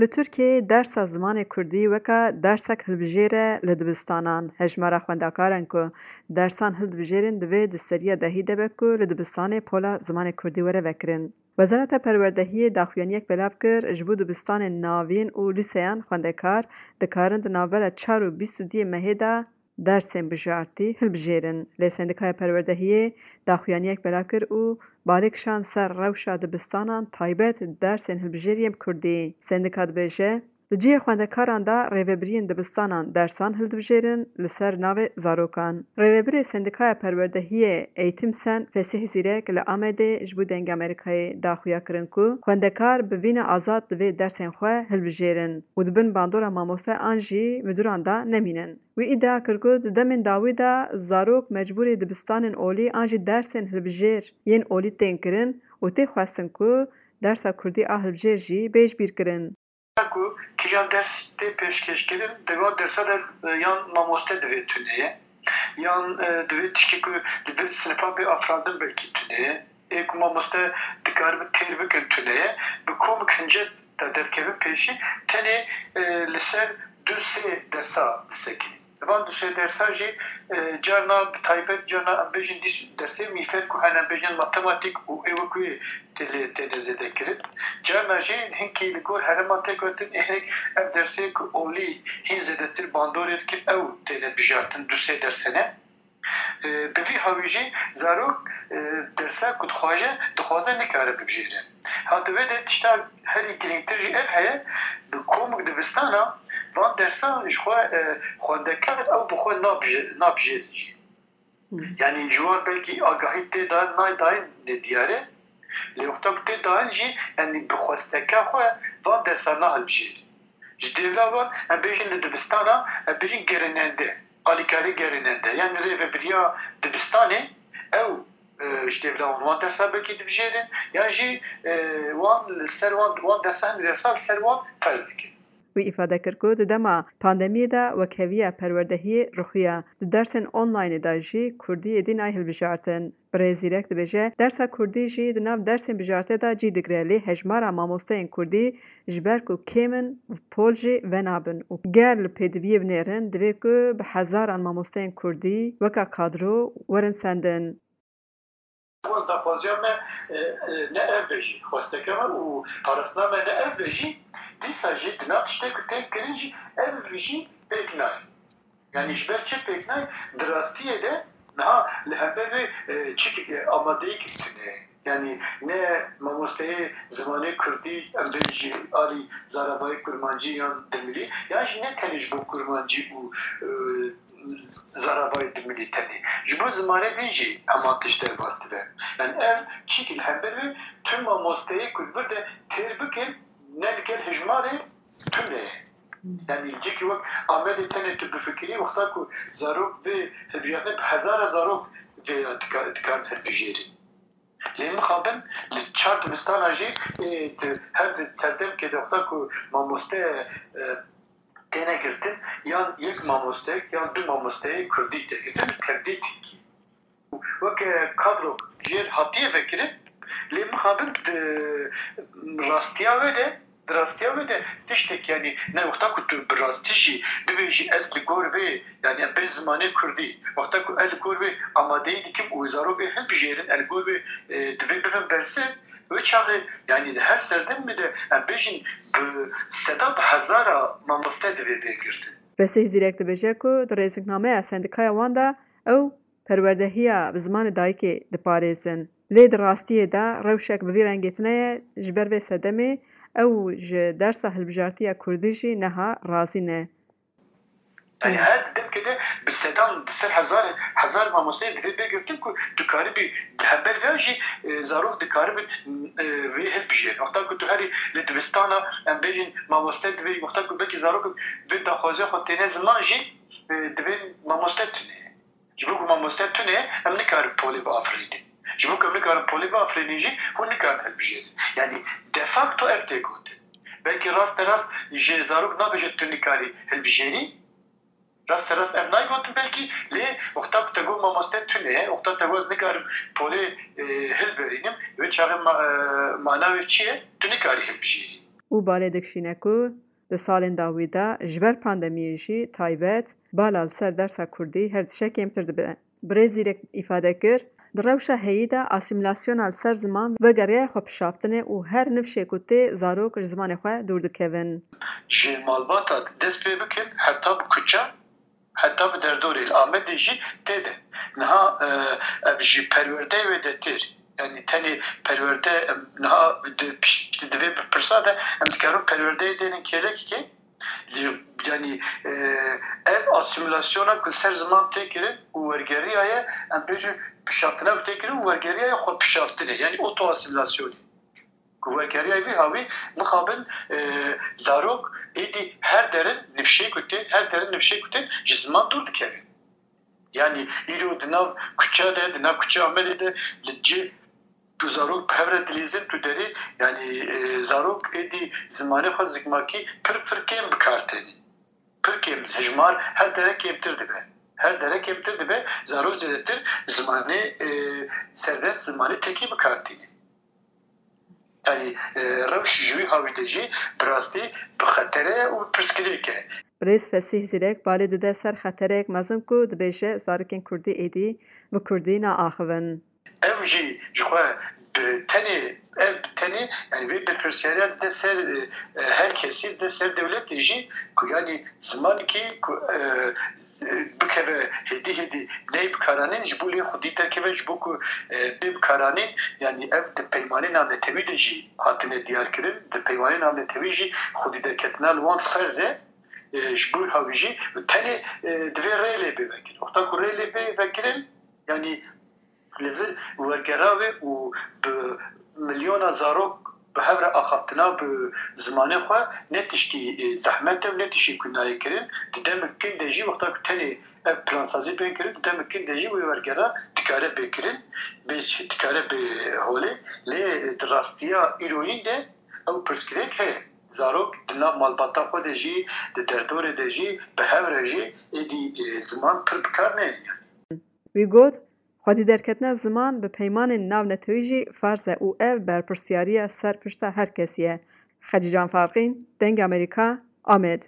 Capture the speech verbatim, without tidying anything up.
Li Tirkiyeyê dersa zimanê kurdî weke dersek hilbijêr e li dibistanan. Hejmara xwendekaran ku dersan hildibijêrin divê di seriya dehî de be ku li dibistanê pola zimanê kurdî were vekirin. Wezareta Perwerdehiyê daxuyaniyek belav kir, ji bo dibistanên navîn û lîseyan xwendekar dikarin di navbera çar û bîst û duyê mehê de dersên bijartî hilbijêrin. Lê Sendîkaya Perwerdehiyê daxuyaniyek belav kir û balê kişand ser rewşa dibistanan, taybet dersên hilbijêrî yên bi kurdî. Sendîka dibêje, di cihê xwendekaran de rêvebiriyên dibistanan dersan hildibijêrin li ser navê zarokan. Rêvebirê Sendîkaya Perwerdehiyê Eğitim Sen Fesîh Zîrek li Amedê ji bo Dengê Amerîkayê daxuya kirin ku xwendekar bi vîna azad divê dersên xwe hilbijêrin û di bin bandora mamoste an jî miduran de nemînin. Wî îdia kir ku di demên dawî de zarok mecbûrî dibistanên olî an jî dersên hilbijêr yên olî tên kirin û tê xwestin ku dersa kurdî a hilbijêr jî bê ji bîr kirin. Ku kîjan ders tê pêşkêşkirin, di van dersa de, e, yan mamoste divê tune ye, yan, e, divê tişkê ku li vir sinifa bê afirandin belkî tune ye. Ê ku mamoste dikaribe têr bikin tune ye. Bi komik hincet de derkevin pêşî, tenê, e, li ser du sê dersa disekînin. Van du sê dersa jî, e, carna bi taybet, carna em bêjin dîs dersê mîfer ku hene, em bêjin matematîk û ê wek wê tê lê têne zêde kirin. Carna jî hinkî li gor herêma tê gotin, ê hinek ev dersê ku olî hîn zêdetir bandorê dikin, ew têne bijartin, du sê ders hene. E, bi vî hawî jî zarok, e, dersa ku dixwaze, dixwaze nikare bibijêre. Ha di vê de tişta herî girîngtir jî ev heye, bi komik dibistana van dersan ji xwe, e, xwendekar ew bi xwe nabije-, nabijêrin jî. Yanî ji wan belkî agahî tê dayîn, nayê dayîn nediyar e. Lê wexta ku tê dayîn jî, yanî bi xwesteke xwe van dersan nahilbijêrin. Ji dêvla wan, em bêjin li dibistana, em bêjin gerînende, alîkarê gerînende, yan rêvebiriya dibistanê, ew, e, ji dêvla wan wan dersa belkî dibijêrin, yan jî, e, wan li ser wan, wan dersa, hin dersa li ser wan ferz dikin. Wî îfade kir ku di dema pandemiyê de wekheviya perwerdehiyê ruxiya. Di dersên onlaynê de jî kurdî êdî nayê hilbijartin. Birêz Zîrek dibêje, dersa kurdî jî di nav dersên bijarte de cî digre, lê hejmara mamosteyên kurdî ji ber ku kêm in, pol jî venabin û ger li pêdiviyê binêrin, divê ku bi hezaran mamosteyên kurdî weka kadro werin sendin. Wan daxwaziya me, e, e, ne ev be jî, xwesteke me û parastina me ne ev be jî, dîsa jî di nav tiştê ku tên kirin jî ev jî pêk nayê. Yanî ji ber çi pêk nayê? Di rastiyê de niha li hember wê, e, çi, e, amadeyî tune ye. Yanî ne mamosteyê zimanê kurdî, em bêjin jî alî zarabayê kurmancî yan dimilî, yan jî ne tenê ji bo kurmancî û, e, zarabayê dimilî tenê. Ji bo zimanê din jî heman tişt derbas dibe. Yanî ev çîkî li hember wê tu mamosteyê ku li vir de têr bikin, ne li gel hejmarê tune ye. Yanî li cihekî wek Amedê tenê tu bifikirî, wexta ku zarok vê hilbijartinê bi hezara zarok vê ya dika-, dikarin hilbijêrin. Lê mixabin li çar dibistana jî, ê, di her di serdemkê de wexta ku mamoste, e, têne girtin, yan yek mamostek yan du mamosteyê kurdî tê girtin, bi tevdî tirkî. Weke kadrok jêr hatiye vekirin, lê mixabin di rastiya wê de, di rastiya wê de tiştek, yanî ne wexta ku tu bi rastî jî bibêjî ez li gor vê, yanî em bên zimanê kurdî, wexta ku ez li gor vê amadeyî dikim û zarokê hilbijêrin, ez li gor vê, e, divê bibin bersiv, wê çaxê, yanî di her serdemê de em bêjin bi seda, bi hezara mamoste divê bê girtin. Fesîh Zîrek dibêje ku di rêziknameya sendîkaya wan de ew perwerdehiya bi zimanê dayikê diparêzin. Lê di rastiyê de rewşek bi vî rengê tune ye, ji ber vê sedemê ew ji dersa hilbijartiya kurdî jî neha razî ne. Yanî her di demkê de bi sedan, bi ser hezar, hezar mamosteyê divê bê girtin ku tu karibî di hember vê jî, e, zarok dikaribin, e, vê hilbijêrin. Wexta ku tu herî li dibistana, em bêjin mamoste divê, wexta ku belkî zarok vê daxwaziya xwe têne ziman jî, e, divê mamoste tune ye. Ji bo ku mamoste tune ye, em nikarin polê biafirînin. Ji bo ku em nikarin polê biafirînin jî, hûn nikarin hilbijêrin. Yanî de facto ev tê gotin. Belkî rasterast ji zarok nabêje tu nikarî hilbijêrî. Rasterast ev nayê gotin belkî, lê wexta ku te got mamoste tune ye, wexta te got ez nikarim polê, e, hilberînim, wê çaxê ma-, e, mana wê çi ye? Tu nikarî hilbijêrî. û balê dikişîne ku di salên dawî de ji ber pandemiyê jî taybet bala li ser dersa kurdî her tişe kêmtir dibe. Birêz Zîrek îfade kir, di rewşa heyî de asîmîlasyona li ser ziman vegeriyaye xwepişaftinê û her nifşê ku tê zarok ji zimanê xwe dûr dikevin. Ji malbata dest pê bikin heta bi kuçe, heta bi derdorê li Amedê jî tê de. Niha e, ev ji perwerdeyê wêdetir. Yanî tenê perwerde em niha di piştî divê bi pirsa de em dikarin perwerdeyê dênin kêlekê. Li- Yanî e, ev asîmîlasyona ku li ser ziman tê kirin û wergeriyaye, em bêjin pişaftina ku tê kirin û wergeriyaye xwe pişaftinê. Yanî oto asîmîlasyonê. Ku wergeriya vî hawî mixabin e, zarok êdî her derin nifşê ku tên, her derin nifşê ku tên ji ziman dûr dikevin. Yanî îro di nav kuçe de, di nav kuçeya Amedê de li cih tu zarok bi hev re dilîzin tu derê, yanî e, zarok êdî zimanê xwe zikmakî pir pir kêm bi kar tênî. Pir kêm, hijmar her dere kêmtir dibe. Her dere kêmtir dibe, zarok zêdetir zimanê e, serdest, zimanê tekî bi kar tînin. Yanî e, rewş ji wî hawî de jî bi rastî bi xetere û bi pirsgirêk e. Birêz Fesîh Zîrek balê dide ser xetereyek mezin ku dibêje zarokên kurdî êdî bi kurdî naaxivin. Ev jî ji xwe bi tenê, ev bi tenê, yanî vê berpirsyariya dide ser e, e, her kesî, dide ser dewletê jî ku yanî zimankî ku e, e, bikeve hêdî hêdî neyê bikaranîn ji bo lê xwedî derkeve, ji bo ku e, bê bikaranîn, yanî ev di peymanê navnetewî de jî hatine diyar kirin, di peymanê navnetewî jî xwedî derketina li wan ferz e. E, ji bo hawî jî tenê e, divê rê lê bê vekirin. Wexta ku rê lê bê vekirin, yanî li vir wergera wê û bi milyona zarok bi hev re axaftina bi zimanê xwe ne tiştî e, zehmet e û ne tiştî ku nayê kirin. Di demik kin de jî wexta ku tenê ev plansazî bên kirin, di demik kin de jî wê wergera dikare bê kirin, bê dikare bê holê. Lê di rastiya îroyîn de ew pirsgirêk heye. Zarok di nav malbata xwe de jî, di derdorê de jî, bi hev re jî êdî e, ziman pir bi kar neynin. Wî got, xwedî derketina ziman bi peymanên navnetewî jî ferz e û ev berpirsyariya ser pişta her kesî ye. Xecîcan Farqîn, Dengê Amerîka, Amed.